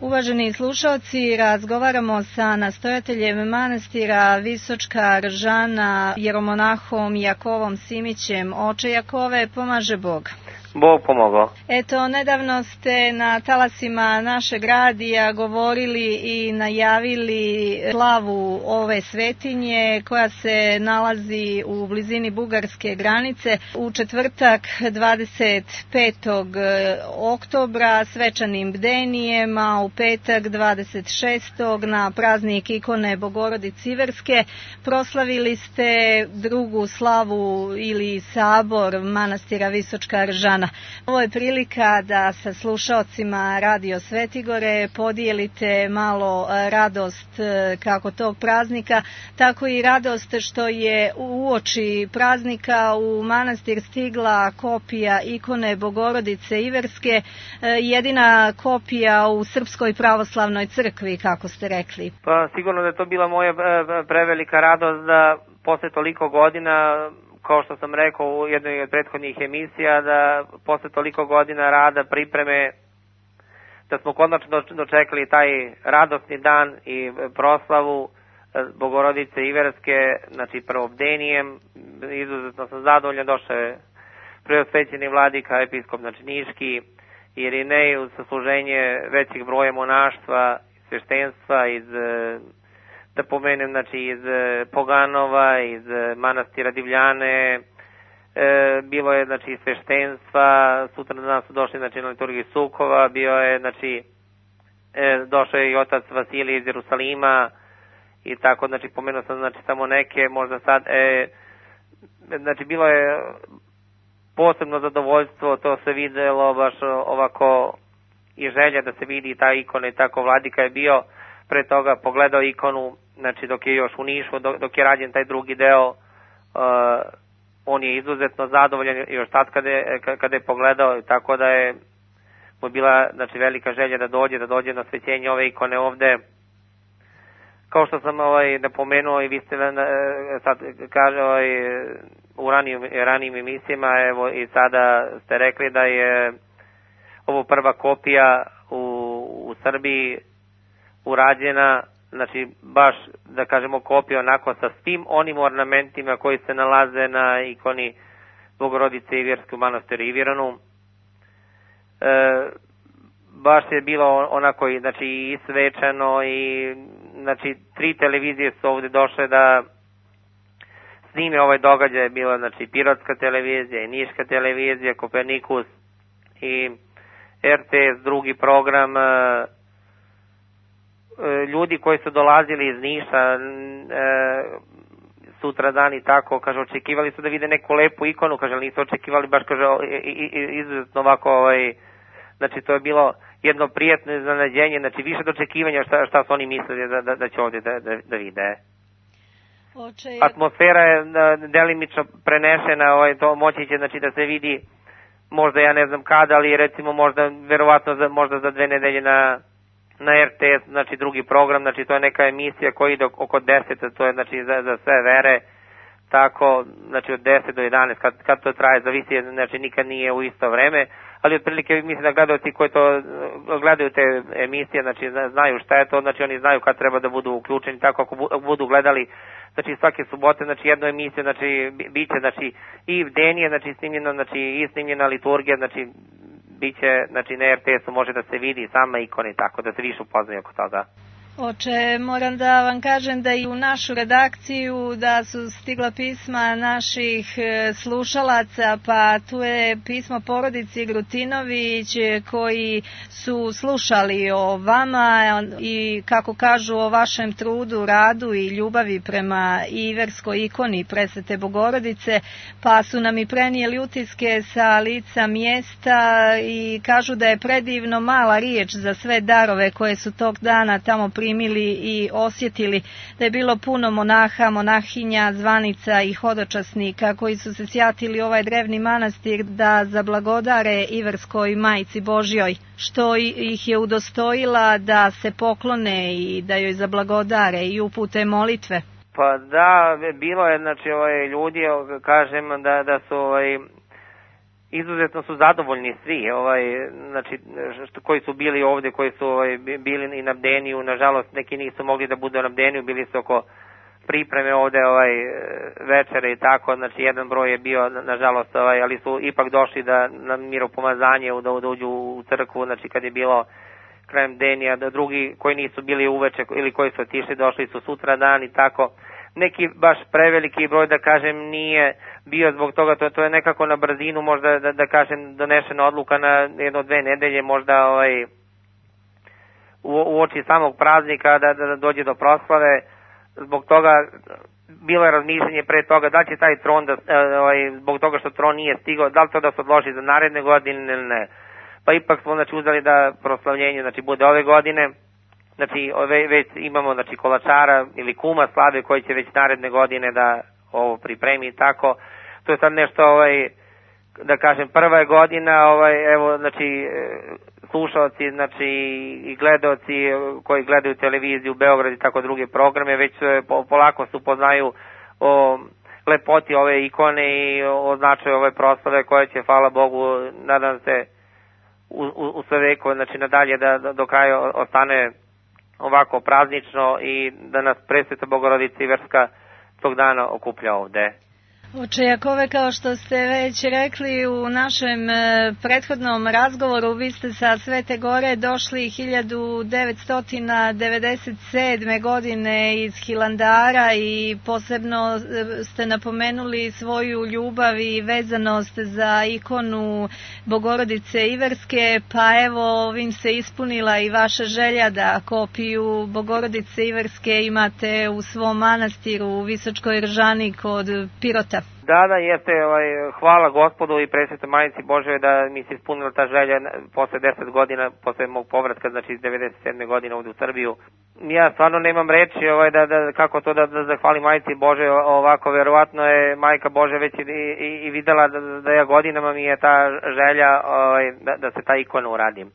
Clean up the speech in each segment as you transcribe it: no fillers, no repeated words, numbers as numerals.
Uvaženi slušalci, razgovaramo sa nastojateljem manastira Visočka Ržana, jeromonahom Jakovom Simićem. Oče Jakove, pomaže Bog. Bog pomogao. Eto, nedavno ste na talasima našeg radija govorili i najavili slavu ove svetinje koja se nalazi u blizini bugarske granice u četvrtak 25. oktobra svečanim bdenijem, a u petak 26. na praznik ikone Bogorodice Iverske proslavili ste drugu slavu ili sabor manastira Visočka Ržana. Ovo je prilika da sa slušaocima Radio Svetigore podijelite malo radost kako tog praznika, tako i radost što je uoči praznika u manastir stigla kopija ikone Bogorodice Iverske, jedina kopija u Srpskoj pravoslavnoj crkvi, kako ste rekli. Pa sigurno da je to bila moja prevelika radost da posle toliko godina, kao što sam rekao u jednoj od prethodnih emisija, da posle toliko godina rada, pripreme, da smo konačno dočekali taj radosni dan i proslavu Bogorodice Iverske, znači prvobdenijem. Izuzetno sam zadovoljan, došao je preosvećeni vladika, episkop znači Niški, Irinej uz sasluženje većih broja monaštva, sveštenstva iz, da pomenem, znači iz Poganova, iz manastira Divljane, bilo je znači sveštenstva, sutra dan su došli znači na liturgiju Sukova, bio je znači došao je i otac Vasilij iz Jerusalima i tako, znači pomenuo sam znači samo neke, možda sad znači bilo je posebno zadovoljstvo, to se videlo baš ovako i želja da se vidi ta ikona i tako. Vladika je bio pre toga pogledao ikonu, znači dok je još u Nišu, dok je rađen taj drugi deo, on je izuzetno zadovoljan još tad kada je pogledao, tako da je mu bila znači velika želja da dođe na svećenje ove ikone ovde. Kao što sam napomenuo i vi ste sad kaže u ranijim emisijama, evo i sada ste rekli da je ovo prva kopija u Srbiji urađena, znači baš da kažemo kopija onako sa svim onim ornamentima koji se nalaze na ikoni Bogorodice Iverske u manastiru Iviranu. Baš je bilo onako znači i svečano i znači 3 televizije su ovde došle da snime ovaj događaj. Bila znači Pirotska televizija i Niška televizija, Kopernikus i RTS, drugi program. Ljudi koji su dolazili iz Niša sutra dan i tako, kaže, očekivali su da vide neku lepu ikonu, kaže, ali nisu očekivali baš, kaže, izuzetno ovako, znači to je bilo jedno prijatno iznenađenje, znači više do očekivanja šta su oni mislili da će ovdje da vide. Atmosfera je delimično prenešena, to moći će znači da se vidi možda ja ne znam kada, ali recimo možda verovatno možda za 2 nedelje na RTS, znači drugi program, znači to je neka emisija koja ide oko 10, to je znači za sve vere, tako, znači od 10 do 11, kad to traje, zavisi, znači nikad nije u isto vreme, ali otprilike mislim da gledalci koji to gledaju te emisije, znači znaju šta je to, znači oni znaju kad treba da budu uključeni, tako ako budu gledali, znači svake subote, znači jednu emisiju, znači biće, znači i bdenije, znači snimljeno, znači i snimljena liturgija, znači biće, znači na RTS-u može da se vidi sama ikona, tako da se više upoznaju oko toga. Oče, moram da vam kažem da i u našu redakciju da su stigla pisma naših slušalaca, pa tu je pismo porodici Grutinović koji su slušali o vama i kako kažu o vašem trudu, radu i ljubavi prema Iverskoj ikoni Presvete Bogorodice, pa su nam i prenijeli utiske sa lica mjesta i kažu da je predivno mala riječ za sve darove koje su tog dana tamo primili i osjetili, da je bilo puno monaha, monahinja, zvanica i hodočasnika koji su se sjatili ovaj drevni manastir da zablagodare Iverskoj Majci Božjoj, što ih je udostojila da se poklone i da joj zablagodare i upute molitve. Pa da, bilo je znači ljudi, kažem da su izuzetno su zadovoljni svi, znači, koji su bili ovde, koji su bili i na Bdeniju, nažalost neki nisu mogli da budu na Bdeniju, bili su oko pripreme ovde večere i tako, znači jedan broj je bio, nažalost, ali su ipak došli na miropomazanje, da uđu u crkvu, znači kad je bilo krajem Bdenija, da drugi koji nisu bili uveče ili koji su otišli, došli su sutra dan i tako. Neki baš preveliki broj, da kažem, nije bio zbog toga, to je nekako na brzinu, možda da kažem, donešena odluka na 1-2 nedelje, možda u oči samog praznika da dođe do proslave. Zbog toga bilo je razmišljanje pre toga da će taj tron, zbog toga što tron nije stigao, da li to da se odloži za naredne godine ili ne. Pa ipak smo uzeli da proslavljenje bude ove godine. Znači već imamo kolačara ili kuma slave koji će već naredne godine da ovo pripremi i tako. To je sad nešto, da kažem, prva je godina, evo, znači, slušalci, znači, i gledaoci koji gledaju televiziju, Beograd i tako druge programe, već polako se upoznaju o lepoti ove ikone i o značaju ove proslave koje će, hvala Bogu, nadam se, u sve veko, znači, nadalje da do kraja ostane ovako praznično i da nas Presveta Bogorodica Iverska tog dana okuplja ovde. Oče Jakove, kao što ste već rekli u našem prethodnom razgovoru, vi ste sa Svete Gore došli 1997. godine iz Hilandara i posebno ste napomenuli svoju ljubav i vezanost za ikonu Bogorodice Iverske, pa evo ovim se ispunila i vaša želja da kopiju Bogorodice Iverske imate u svom manastiru u Visočkoj Ržani kod Pirota. Da, jeste, hvala Gospodu i Presvetoj Majici Božoj da mi se ispunila ta želja posle 10 godina, posle mog povratka, znači iz 97. godine ovde u Srbiju. Ja stvarno nemam reči kako to da zahvalim Majici Božoj ovako, verovatno je Majka Božja već i videla da ja godinama mi je ta želja da se ta ikona uradim.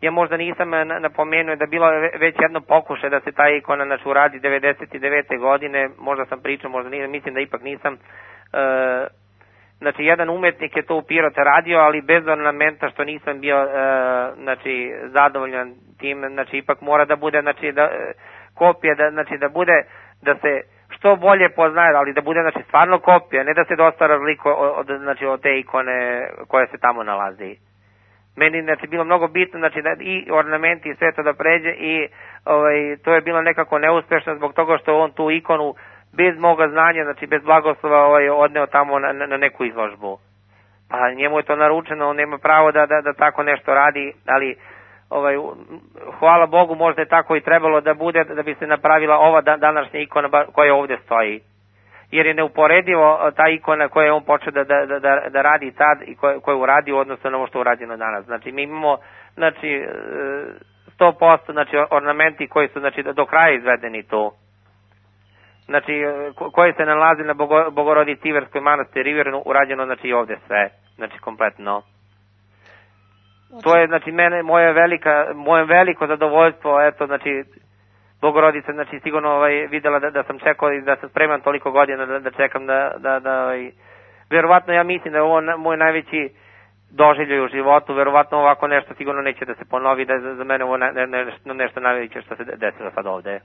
Ja možda nisam napomenuo da bilo već jedno pokušaj da se ta ikona uradi 99. godine, možda sam pričao, možda nisam, mislim da ipak nisam. Znači jedan umetnik je to u Pirote radio, ali bez ornamenta, što nisam bio zadovoljan tim, znači ipak mora da bude kopija, da bude, da se što bolje poznaje, ali da bude stvarno kopija, ne da se dosta razlikuje od te ikone koje se tamo nalazi. Meni bilo mnogo bitno da i ornamenti i sve to da pređe i to je bilo nekako neuspešno zbog toga što on tu ikonu bez moga znanja, bez blagoslova odneo tamo na neku izložbu. Pa njemu je to naručeno, on nema pravo da tako nešto radi, ali hvala Bogu, možda je tako i trebalo da bude, da bi se napravila ova današnja ikona koja ovde stoji. Jer je neuporedivo ta ikona koju je on počeo da radi tad i koju je uradio odnosno na ovo što je urađeno danas. Znači mi imamo 100% ornamenti koji su do kraja izvedeni tu. Znači, koji se nalazi na Bogorodici Iverskoj manastir Rivernu, urađeno, znači, ovde sve, znači, kompletno. To je, znači, moje veliko zadovoljstvo, eto, znači, Bogorodica, znači, sigurno videla da sam čekao i da sam spreman toliko godina da čekam verovatno ja mislim da je ovo moj najveći doživljaj u životu, verovatno ovako nešto sigurno neće da se ponovi, da je za mene ovo nešto najveće što se desilo sad ovde,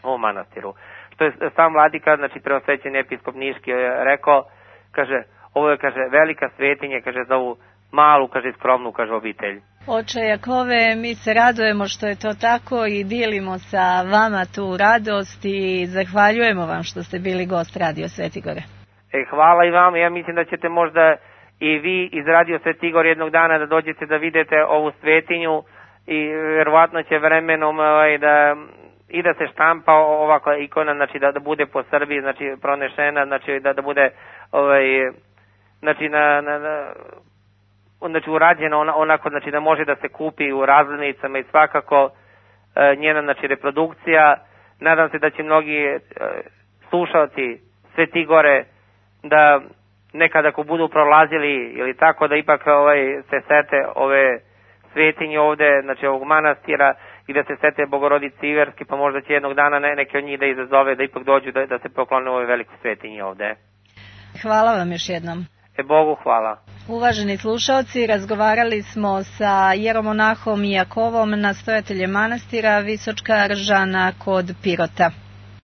u ovom manastiru. Što je sam vladika, znači preosvećeni episkop Niški rekao, kaže, ovo je, kaže, velika svetinja, kaže, za ovu malu, kaže, skromnu, kaže, obitelj. Oče Jakove, mi se radujemo što je to tako i dijelimo sa vama tu radost i zahvaljujemo vam što ste bili gost Radio Svetigore. Hvala i vama, ja mislim da ćete možda i vi iz Radio Svetigore jednog dana da dođete da vidite ovu svetinju i verovatno će vremenom i da se štampa ovakva ikona, znači da bude po Srbiji, znači pronešena, znači da bude znači urađena onako, znači da može da se kupi u razglednicama i svakako njena, znači, reprodukcija. Nadam se da će mnogi slušalci Svetigore da nekada ako budu prolazili ili tako da ipak se sete ove svetinje ovde, znači ovog manastira i da se sete Bogorodice Iverske, pa možda će jednog dana neke od njih da izazove da ipak dođu da se poklone ove velike svetinje ovde. Hvala vam još jednom. Bogu hvala. Uvaženi slušaoci, razgovarali smo sa jeromonahom Jakovom, nastojateljem manastira Visočka Ržana kod Pirota.